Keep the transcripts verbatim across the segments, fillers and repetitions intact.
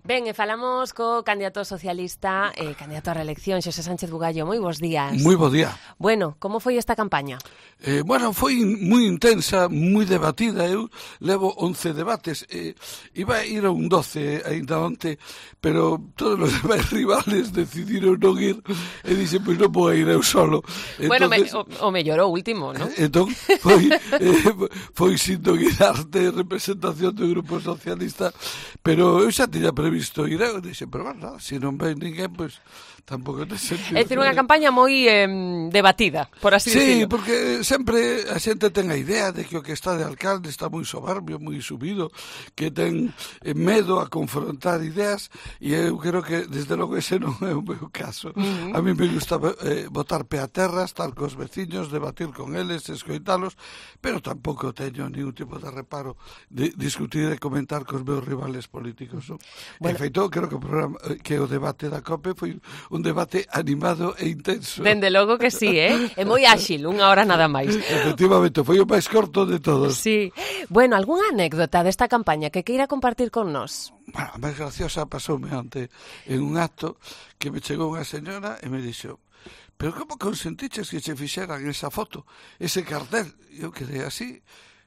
Ben, e falamos co candidato socialista, eh, candidato a reelección, Xosé Sánchez Bugallo. Moi bons días. Moi bo día. Bueno, como foi esta campaña? Eh, bueno, foi moi intensa, moi debatida. Eu levo once debates. Eh, iba a ir a un doce ainda onte, pero todos os demais rivales decidiron non ir e dixen, pois non vou ir eu solo. Bueno, Entonces, me, o, o mellor o último, non? Entón, foi, eh, foi sin guiar de representación do Grupo Socialista, pero eu xa tiña previsto ir eu, dixen, pero bueno, se non ven ninguén, pois tampouco ten sentido. É dicir, unha campaña moi eh, debatida, por así sí, decirlo. Sí, porque sempre a xente ten a idea de que o que está de alcalde está moi soberbio, moi subido, que ten eh, medo a confrontar ideas, e eu creo que, desde logo, ese non é o meu caso. Uh-huh. A mí me gusta eh, botar pé a terra, estar cos veciños, debatir con eles, escoitalos, pero tampouco teño ningún tipo de reparo de discutir e comentar cos meus rivales políticos. No? Bueno. En feito, creo que o, programa, que o debate da COPE foi un debate animado e intenso. Dende logo que sí, eh? É moi áxil, unha hora nada máis. Efectivamente, foi o máis corto de todos. Sí. Bueno, algunha anécdota desta campaña que queira compartir con nós? Bueno, a máis graciosa pasoume onte en un acto que me chegou unha señora e me dixo: pero como consentiches que che fixeran esa foto, ese cartel? Eu quedei así.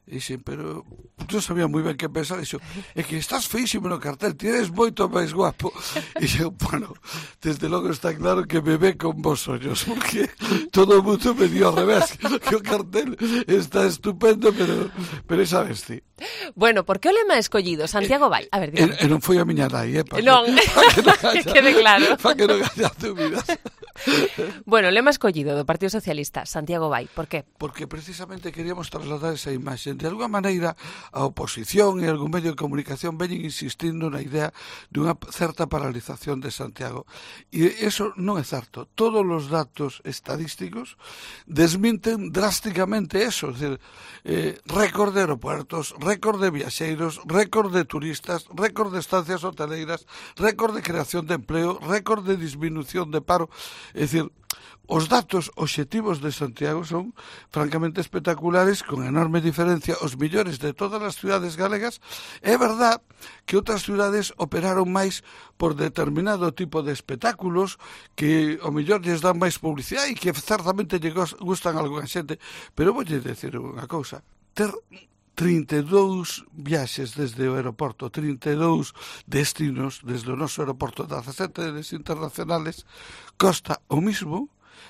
E dixen, pero non sabía moi ben que pensar. Dixo, é que estás feísimo no cartel, ti eres moito máis guapo. E dixo, bueno, desde logo está claro que me ve con vos ollos, porque todo o mundo me dio ao revés, que o cartel está estupendo, pero, pero sabes ti. Bueno, por que o lema escollido? Santiago vai. A ver, dígame. E, e non foi a miña nai, eh? Pa non, que, pa que non quede claro. Para que non haya dúbidas. Bueno, lema escollido do Partido Socialista, Santiago vai. Por qué? Porque precisamente queríamos trasladar esa imaxe. De alguma maneira, a oposición e algún medio de comunicación veñen insistindo na idea dunha certa paralización de Santiago. E eso non é certo. Todos os datos estadísticos desminten drásticamente eso. É dicir, eh, récord de aeropuertos, récord de viaxeiros, récord de turistas, récord de estancias hoteleiras, récord de creación de empleo, récord de disminución de paro. É dicir, os datos obxectivos de Santiago son francamente espectaculares, con enorme diferencia os millores de todas as cidades galegas. É verdad que outras cidades operaron máis por determinado tipo de espectáculos que o mellor lles dan máis publicidade e que certamente lle gustan a alguna xente, pero voulle decir unha cousa: ter trinta e dous viaxes desde o aeroporto, trinta e dous destinos desde o noso aeroporto, dezasete internacionales, costa o mismo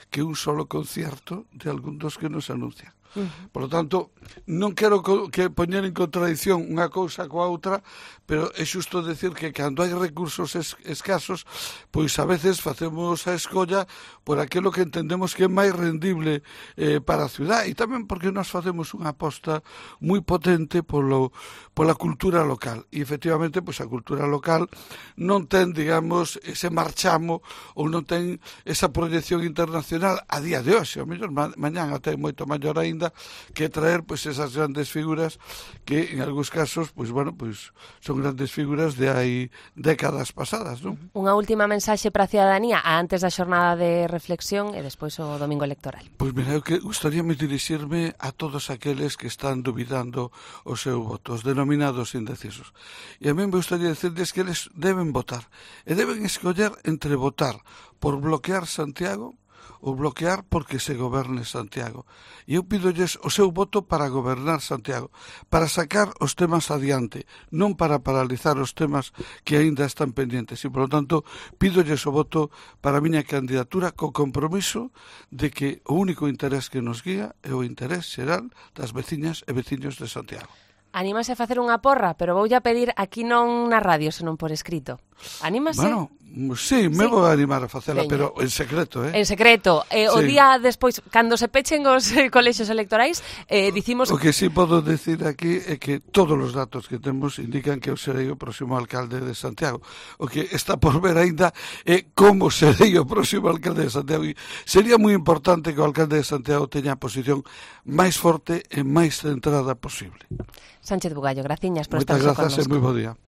que un solo concierto de algún dos que nos anuncian. Uh-huh. Por lo tanto, non quero que poñer en contradición unha cousa coa outra, pero é xusto decir que cando hai recursos es, escasos, pois a veces facemos a escolla por aquilo que entendemos que é máis rendible eh, para a cidade, e tamén porque nós facemos unha aposta moi potente polo, pola cultura local, e efectivamente pois a cultura local non ten, digamos, ese marchamo ou non ten esa proyección internacional a día de hoxe. O mellor ma mañán até moito maior aínda, que traer pois esas grandes figuras que en algúns casos pois bueno, pois son grandes figuras de hai décadas pasadas, non? Unha última mensaxe para a ciudadanía antes da xornada de reflexión e despois o domingo electoral. Pois mira, eu que gustaríame dirixirme a todos aqueles que están dubidando o seu voto, os denominados indecisos. E a mí me gustaría decirles que eles deben votar e deben escoller entre votar por bloquear Santiago ou bloquear porque se goberne Santiago. E eu pídolles o seu voto para gobernar Santiago, para sacar os temas adiante, non para paralizar os temas que aínda están pendientes. E, por lo tanto, pídolles o voto para a miña candidatura co compromiso de que o único interés que nos guía é o interés xeral das veciñas e veciños de Santiago. Anímase a facer unha porra, pero voulle a pedir aquí non na radio, senón por escrito. Anímase? Bueno, sí, me sí. vou a animar a facela, Veña. Pero en secreto, eh? En secreto. Eh, o sí. día despois, cando se pechen os eh, colexios electorais, eh, dicimos... O que sí podo decir aquí é que todos os datos que temos indican que eu serei o próximo alcalde de Santiago. O que está por ver aínda é como serei o próximo alcalde de Santiago. E sería moi importante que o alcalde de Santiago teña a posición máis forte e máis centrada posible. Sánchez Bugallo, graciñas por estar con nós. Moitas grazas e moi bo día.